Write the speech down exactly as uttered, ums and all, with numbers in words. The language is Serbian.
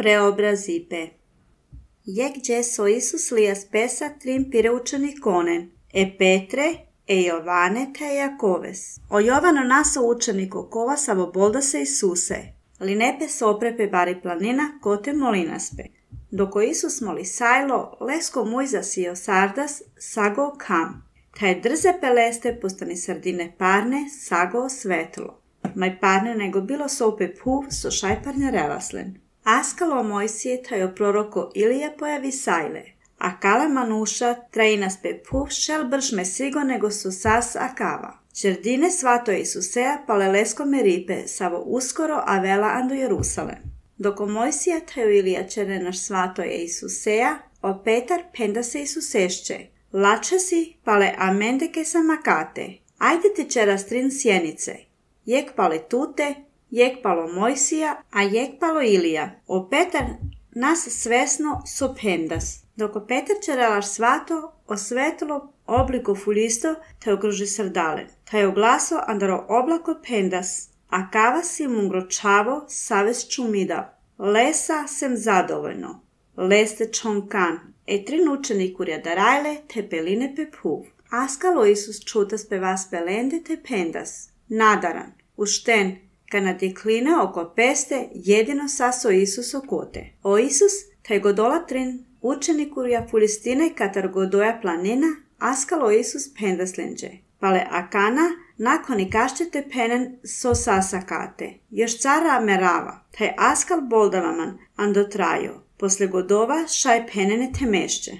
preobrazipe. Jek Jeso Isus lias pesa trim pireučani konen, e Petre, e Jovane te Jakoves. O Jovano naso učeniko kova savo boldase Isuse, li nepe soprepe bari planina kote molinaspe. Doko Isus moli sajlo, lesko mujza sio sardas, sago kam. Taj drze peleste postani sardine parne, sago svetlo. Maj parne nego bilo sope puv, so šajparne relaslen. Askalo Mojsije tajo proroko Ilija pojavi sajle. A kala manuša trajinaspe puv šel bršme sigo nego so sas akava. Čerdine svato Isusea palelesko meripe, savo uskoro a vela ando Jerusalem. Doko Mojsija tajo Ilija černenaš svato je Isusea, o Petar penda se Isusešće. Lače si pale amendeke samakate. Ajde ti čeras trin sjenice. Jek pale tute, jek palo Mojsija, a jek palo Ilija. O Petar nas svesno so pendas. Doko Petar čerelaš svato, osvetlo obliko fulisto, te okruži srdale. Taj oglaso andaro oblako pendas, a kava si mungročavo saves čumidav. Lesa sem zadovoljno. Leste čonkan. E trin učenikurja darajle te peline pe puv. Askalo Isus čutas pe vas pelende te pendas. Nadaran, ušten, kana dekline oko peste jedino saso Isus okote. O Isus, taj godola trin učenikurja fulistine katar godoja planina, askalo Isus pendaslenđe. Pale akana, nakon i kašćete penen so sasakate. Još cara merava, taj askal boldavaman ando trajo. Posle godova šaj penene temešće.